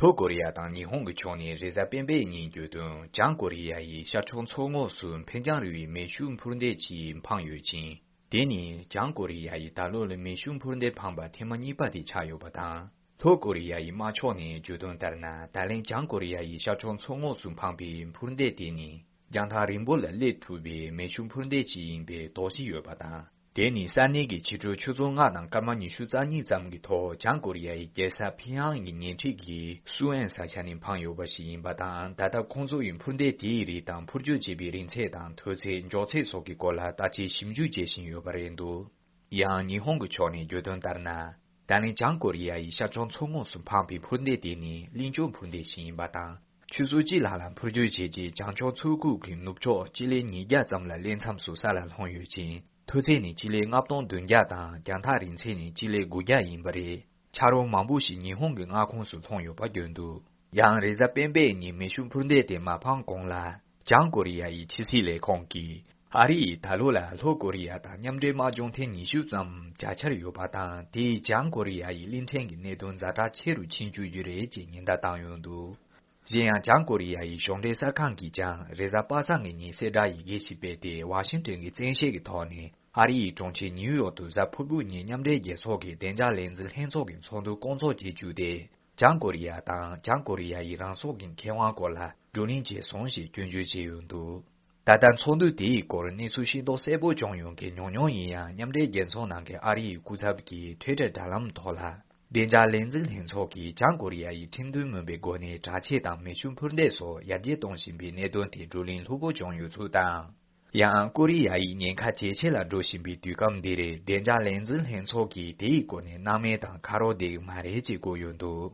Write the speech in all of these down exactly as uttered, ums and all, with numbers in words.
ལྷོ་ཀོ་རི་ཡ་དང་ཉི་ཧོང་གི་ཕྱོགས་ནས་རེས་གཟའ་སྤེན་པའི་ཉིན་བརྗོད་དོན། བྱང་ཀོ་རི་ཡ་ཡི་ཤར་ཕྱོགས་མཚོ་ངོགས་སུ་འཕེལ་འགྱངས་རིག་པའི་མེ་ཤུགས་འཕུར་མདེལ་གཅིག་འཕངས་ཡོད་ཅིང་། དེ་ནི་བྱང་ཀོ་རི་ཡ་ཡིས་ད་ལོ་ལ་མེ་ཤུགས་འཕུར་མདེལ་འཕངས་པ་ཐེངས་མ་གཉིས་པ་དེ་ཆགས་ཡོད་པ་དང་། ལྷོ་ཀོ་རི་ཡ་ཡི་དམར་ཕྱོགས་ནས་བརྗོད་དོན་ལྟར་ན། ད་ལན་བྱང་ཀོ་རི་ཡ་ཡི་ཤར་ཕྱོགས་མཚོ་ངོགས་སུ་འཕངས་པའི་འཕུར་མདེལ་དེ་ནི། རྒྱང་ཐག་རིང་པོ་ལ་སླེབས་ཐུབ་པའི་མེ་ཤུགས་འཕུར་མདེལ་ཅིག་ཡིན་པའི་དོགས་གཞི་ཡོད་པ་དང་། དེ་ནི་ས་གནས་ཀྱི་ཕྱི་དྲོ་ཆུ་ཚོད་ལྔ་དང་སྐར་མ་ཉི་ཤུ་རྩ་གཉིས་ཙམ་གྱི་ཐོག་བྱང་ཀོ་རི་ཡ་ཡི་རྒྱལ་ས་ཕིང་ཡང་གི་ཉེ་འཁྲིས་ཀྱི་སུའུ་ཨན་ས་ཆ་ནས་འཕངས་ཡོད་པ་ཞིག་ཡིན་པ་དང་། ད་ལྟ་ཁོང་ཚོ་ཡིས་འཕུར་མདེལ་དེའི་རིགས་དང་འཕུར་སྐྱོད་བྱེད་པའི་རིང་ཚད་དང་མཐོ་ཚད། མགྱོགས་ཚད་སོགས་ཀྱི་སྐོར་ལ་བརྟག་དཔྱད་ཞིབ་འཇུག་བྱེད་བཞིན་ཡོད་པ་རེད་འདུག། ཡང་ཉི་ཧོང་གི་ཕྱོགས་ནས་བརྗོད་དོན་ལྟར་ན། ད་ལན་བྱང་ཀོ་རི་ཡ་ཡིས་ཤར་ཕྱོགས་མཚོ་ངོགས་སུ་འཕངས་པའི་འཕུར་མདེལ་དེ་ནི་གླིང་ཕྱོགས་འཕུར་མདེལ་ཞིག་ཡིན་པ་དང་། ཆུ་ཚོད་གཅིག་ལྷག་ལ་འཕུར་སྐྱོད་བྱས་རྗེས། བྱང་ཕྱོགས་མཚོ་ཁུག་གི་ནུབ་ཕྱོགས་སྤྱི་ལེ་ཉིས་བརྒྱ་ཙམ་ལ་སླེབས་མཚམས་སུ་ས་ལ་ལྷུང་ཡོད་ཅིང་། མཐོ་ཚད་ནི་སྤྱི་ལེ་ལྔ་སྟོང་བདུན་བརྒྱ་དང་། རྒྱང་ཐག་རིང་ཚད་ནི་སྤྱི་ལེ་དགུ་བརྒྱ་ཡིན་པ་རེད། ཆ་རོགས་མང་པོ་ཞིག་ཉི་ཧོང་གི་མངའ་ཁོངས་སུ་ལྷུང་ཡོད་པ་བརྗོད་འདུག། ཡང་རེས་གཟའ་སྤེན་པའི་ཉིན་མེ་ཤུགས་འཕུར་མདེལ་དེ་མ་འཕངས་གོང་ལ། བྱང་ཀོ་རི་ཡ་ཡི་ཕྱི་སྲིད་ལས་ཁུངས་ཀྱིས། ཨ་རི་ཡིས་ད་ལོ་ལ་ལྷོ་ཀོ་རི་ཡ་དང་མཉམ་འབྲེལ་དམག་སྦྱོང་ཐེངས་ཉི་ཤུ་ཙམ་བྱ་འཆར་ཡོད་པ་དང་། དེས་བྱང་ཀོ་རི་ཡ་ཡི་གླིང་ཕྲན་གྱི་གནད་དོན་ཛ་དྲག་ཆེ་རུ་ཕྱིན་བཅུག་རྒྱུ་རེད་ཅེས་ཉེན་བརྡ་བཏང་ཡོད་འདུག། གཞན་ཡང་། བྱང་ཀོ་རི་ཡ་ཡི་གཞུང་འབྲེལ་གསར་ཁང་གིས་ཀྱང་། རེས་གཟའ་པ་སངས་ཀྱི་ཉིན་གསལ་བསྒྲགས་ཡི་གེ་ཞིག་སྤེལ་ཏེ། ཝ་ཤིང་ཏོན་གྱི་བཙན་ཤེད་ཀྱི་ཐོག་ནས་ཨ་རི་ཡི་གྲོང་ཁྱེར་ཉིའུ་ཡོག་ཏུ་གཟའ་ཕུར་བུ་ཉིན་མཉམ་འབྲེལ་རྒྱལ་ཚོགས་ཀྱི་བདེ་འཇགས་ལས་འཛིན་ལྷན་ཚོགས་ཀྱི་ཚོགས་འདུ་སྐོང་ཚོགས་བྱེད་རྒྱུ་དེ། བྱང་ཀོ་རི་ཡ་དང་། བྱང་ཀོ་རི་ཡ་ཡི་རང་སྲོག་གི་ཁེ་དབང་སྐོར་ལ་བགྲོ་གླེང་བྱས་སོང་ཞེས་སྐྱོན་བརྗོད་བྱས་ཡོད་འདུག། ད་ལྟ་ཚོགས་འདུ་དེའི་སྐོར་གནས་ཚུལ་ཤེས་རྟོགས་གསལ་པོ་བྱུང་ཡོད་མཁན་ཉུང་ཉུང་ཡིན་ཡང་། མཉམ་འབྲེལ་རྒྱལ་ཚོགས་ནང་གི་ཨ་རི་ཡི་སྐུ་ཚབ་ཀྱིས་Twitter་དྲ་ལམ་ཐོག་ལ། བདེ་འཇགས་ལས་འཛིན་ལྷན་ཚོགས་ཀྱིས་བྱང་ཀོ་རི་ཡ་ཡི་ཁྲིམས་མཐུན་མིན་པའི་སྒོ་ནས་དྲག་ཆས་དང་མེ་ཤུགས་འཕུར་མདེལ་སོགས་ཡར་རྒྱས་གཏོང་བཞིན་པའི་གནད་དོན་དེ་བགྲོ་གླེང་ལྷུག་པོ་བྱུང་ཡོད་ཚུལ་དང་། ཡང་ཀོ་རི་ཡ་ཡིས་ཉེན་ཁ་ཇེ་ཆེ་ལ་འགྲོ་བཞིན་པའི་དུས་སྐབས་འདི་རེད། བདེ་འཇགས་ལས་འཛིན་ལྷན་ཚོགས་ཀྱིས་དེའི་སྐོར་ནས་སྣང་མེད་དང་ཁ་རོག་བསྡད་ཀྱི་མ་རེད་ཅེས་བཀོད་ཡོད་འདུག།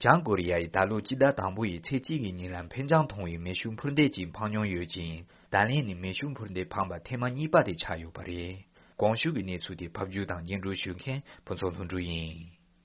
བྱང་ཀོ་རི་ཡ་ཡིས་ད་ལོ་སྤྱི་ཟླ་དང་པོ་ཡི་ཚེས་གཅིག་གི་ཉིན་ལ་འཕེལ་འགྱངས་མཐོང་བའི་མེ་ཤུགས་འཕུར་མདེལ་གཅིག་འཕངས་མྱོང་ཡོད་ཅིང་། ད་ལན་ནི་མེ་ཤུགས་འཕུར་མདེལ་འཕངས་པ་ཐེངས་མ་གཉིས་པ་དེ་ཆགས་ཡོད་པ་རེད། གོང་ཞུས་ཀྱི་གནས་ཚུལ་དེ་ཕབ་སྒྱུར་དང་སྙན་སྒྲོན་ཞུ་མཁན་ཕུན་ཚོགས་ལྷུན་གྲུབ་ཡིན།